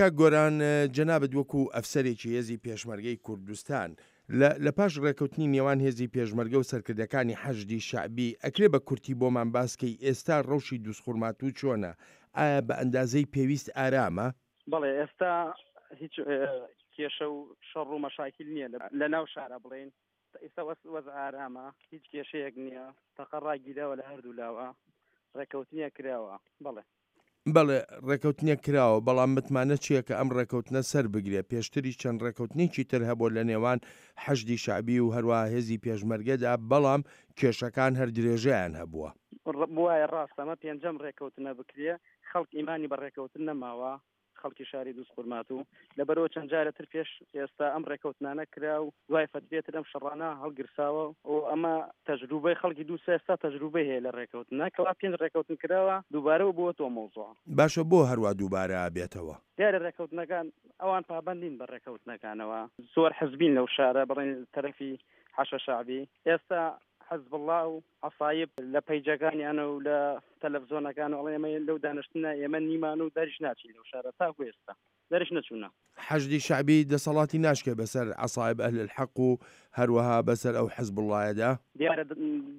کاک گۆران جەنابت وەکو ئەفسەرێکی هێزی پێشمەرگەی کوردستان لە لە پاش ڕێکەوتنی نێوان هێزی پێشمەرگە و سەرکردەکانی حەشدی شەعبی ئەکرێ بە کورتی بۆمان باس کەی ئێستا ڕەوشی دوزخورماتوو چۆنە ئایا بە ئەندازەی پێویست ئارامە؟ بەڵێ ئێستا هیچ کێشە و شەڕ و مەشاکیل نییە لە ناو شارە بڵێین ئێستا وەزع ئارامە هیچ کێشەیەک نییە تەقە ڕاگیراوە لە هەردوو لاوە ڕێکەوتنیە کراوە بەڵێ. بەڵێ ڕێکەوتنێک کراوە، بەڵام متمانە چیە کە ئەم ڕێکەوتنە سەر بگرێ، پێشتریش چەند ڕێکەوتنێکی تر هەبووە لە نێوان حەشدی شەعبی و هەروەها هێزی پێشمەرگەدا، بەڵام کێشەکان هەر درێژەیان هەبووە. وایە ڕاستە ئەمە پێنجەم ڕێکەوتنە بکرێ، خەڵک ئیمانی بە ڕێکەوتن نەماوە، خەڵکی شاری دوزخورماتوو، لەبەرئەوە چەند جارێ تر پێش ئێستا ئەم ڕێکەوتنانە کرا و دوای فەترێ تر ئەم شەڕانە هەڵگرساوە و ئەمە تەجروبەی خەڵکی دووسە ئێستا تەجروبەی هەیە لە ڕێکەوتنە کەوا پێنج ڕێکەوتن کراوە دووبارە و بووەتەوە مەوزوع. باشە بۆ هەروا دووبارە ئەبێتەوە؟ دیارە ڕێکەوتنەکان ئەوان پابەند نین بە ڕێکەوتنەکانەوە زۆر حزبین لەو شارە بڵێن تەرەفی حەشە شەعبی ئێستا حزبوڵا و عەسایب لە پەیجەکانیانە و لە تەلەفزۆنەکان و ئەڵێن ئێمە لەو دانیشتنە ئێمە نیمان و دەریش ناچین لەو شارە تاکو ئێستا دەرش نەچوونە. حەشدی شەعبی دەسەڵاتی ناشکێ بەسەر عەسایب ئەهل الحەق و هەروەها بەسەر ئەو حزبوڵایەدا؟ دیارە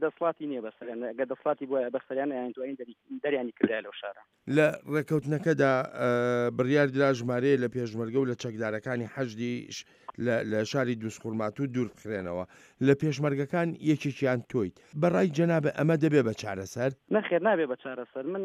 دەسڵاتی نیە بەسەریان ئەگەر دەسڵاتی بوایە بەسەریان ئەیانتوانی دەریانی کردایە لەو شارە. لە ڕێککەوتنەکەدا بڕیار درا ژمارەیە لە پێشمەرگە و لە چەکدارەکانی حەشدیش لە شاری دووزخورماتوو دوور بخرێنەوە. لە پێشمەرگەکان یەکێکیان تۆیت. بە ڕای جەنابت ئەمە دەبێ بە چارەسەر؟ نەخێر نابێ بە چارەسەر. من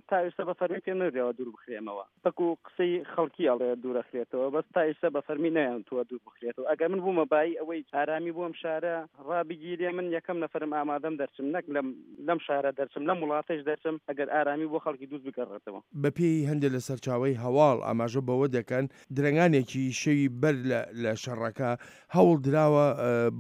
تا ئێستا بە فەرمی پێم نەدراوە دوور بخرێمەوە. بەکو قسەی خەڵکی ئەڵێ دوور ئەخرێتەوە بەس تا ئێستا بە فەرمی نەیانوتووە دوور بخرێتەوە. ئەگەر من بوومە بایی ئەوەی ئارامی بۆ ئەم شارە ڕابگیرێ من یەکەم نەفەرم ئامادەم دەرچم نەک لەم لەم شارە دەرچم لەم وڵاتەیش دەرچم ئەگەر ئارامی بۆ خەڵکی دووز بگەڕێتەوە. بە پێی هەندێ لە سەرچاوەی هەواڵ ئاماژە بەوە دەکەن درەنگانێکی شەوی بەر لە لە شەڕەکە هەوڵ دراوە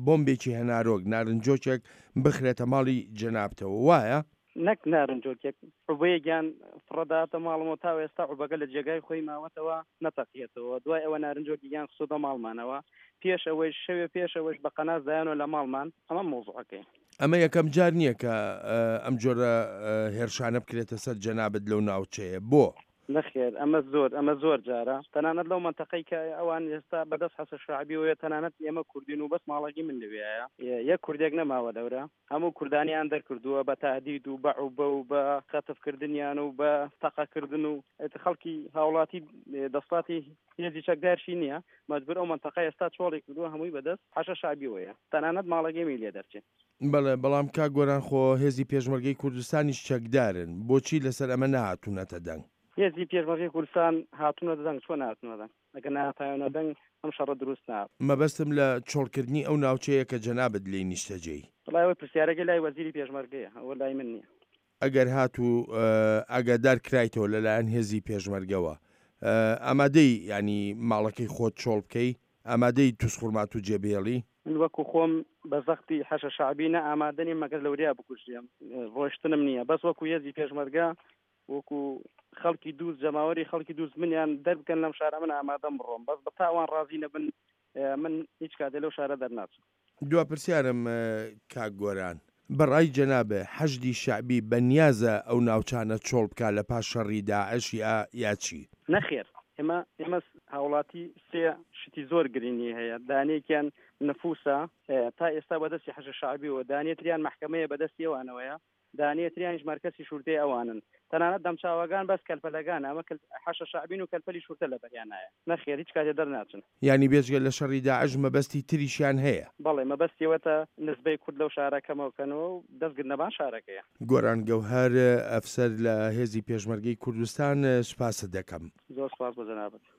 بۆمبێکی هەنارۆک، نارنجۆکێک، بخرێتە ماڵی جەنابتەوە، وایە؟ نەک نارنجۆکێک، عوبەیەکیان فڕەداتە ماڵمەوە تا ئێستا عوبەکە لە جێگای خۆی ماوەتەوە نەتەقیەتەوە، دوای ئەوە نارنجۆکێکیان خستۆتە ماڵمانەوە، پێش ئەوەیش شەوێ پێش ئەوەیش بە قەناس دایانەوە لە ماڵمان، ئەمە مەوزوعەکەیە. ئەمە یەکەم جار نییە کە ئەم جۆرە هێرشانە بکرێتە سەر جەنابت لەو ناوچەیە، بۆ؟ نەخێر ئەمە زۆر ئەمە زۆر جارە تەنانەت لەو مەنتەقەی کە ئەوان ئێستا بەدەست حەسە شەعبیەوەیە تەنانەت ئێمە کوردین و بەس ماڵەکەی من لەوێیە یەک کوردێک نەماوە لەورە هەموو کوردانیان دەرکردووە بە تەهدید و بە عوبە و بە خەتف کردنیان و بە تەقەکردن و خەڵکی هاوڵاتی دەسڵاتی هێزی چەکدارشی نییە مەجبور ئەو مەنتەقە ئێستا چۆڵی کردووە هەمووی بەدەست حەشە شەعبیەوەیە تەنانەت ماڵەکەی می لێ دەرچێ. بەڵێ، بەڵام کاک گۆران خۆ هێزی پێشمەرگەی کوردستانیش چەکدارن، بۆچی لەسەر ئەمە نەهاتوونەتە دەنگ؟ هێزی پێشمەرگەی کوردستان هاتوونەتە دەنگ، چۆن نەهاتوونە دەنگ؟ ئەگەر نەهاتایەنە دەنگ ئەم شەڕە دروست نابوو. مەبەستم لە چۆڵکردنی ئەو ناوچەیە کە جەنابت لێی نیشتەجێی. وەڵای ئەوە پرسیارەکەی لای وەزیری پێشمەرگەیە، ئەوە لای من نییە. ئەگەر هاتوو ئاگادار کرایتەوە لەلایەن هێزی پێشمەرگەوە، ئامادەی یانی ماڵەکەی خۆت چۆڵ بکەی؟ ئامادەی توزخورماتوو جێبهێڵی؟ من وەکو خۆم بە زەختی حەشە شەعبی نە ئامادە نیم مەگەر لەوریا بکوژرێم ڕۆشتنم نییە بەس وەکو هێزی پێشمەرگە وەکو خەڵکی دووز جەماوەری خەڵکی دووز منیان دەربکەن لەم شارە من ئامادەم بڕۆم بەس بە تا ئەوان ڕازی نەبن من هیچ کاتێ لەو شارە دەرناچم. دوا پرسیارم کاک گۆران، بە ڕای جەنابت حەشدی شەعبی بە نیازە ئەو ناوچانە چۆڵ بکا لە پاش شەڕی داعش یا یا چی؟ نەخێر ئێمە ئێمە هاوڵاتی سێ شتی زۆر گرینگی هەیە دانەیەکیان نفوسە تا ئێستا بەدەستی حەشد شەعبیەوە دانەی تریان مەحکەمەیە بەدەستی ئەوانەوەیە دانەیە تریانیش مەرکەزی شورتەی ئەوانن تەنانەت دەمچاوەگان بەس کەلپەلەگانە ئەمە کەل حەشە شەعبین و کەلپەلی شورتە لەبەریانایە نەخێر هیچ کاتێ دەرناچن. یانی بێجگە لە شەڕی داعش مەبەستی تریشیان هەیە؟ بەڵێ مەبەستی ئەوەتە نسبەی کورد لەو شارە کەمەو کەنەوە و دەست گرنە بان شارەکەیە. گۆران گەوهەر، ئەفسەر لە هێزی پێشمەرگەی کوردستان، سوپاست دەکەم. زۆر سوپاس بۆ جەنابت.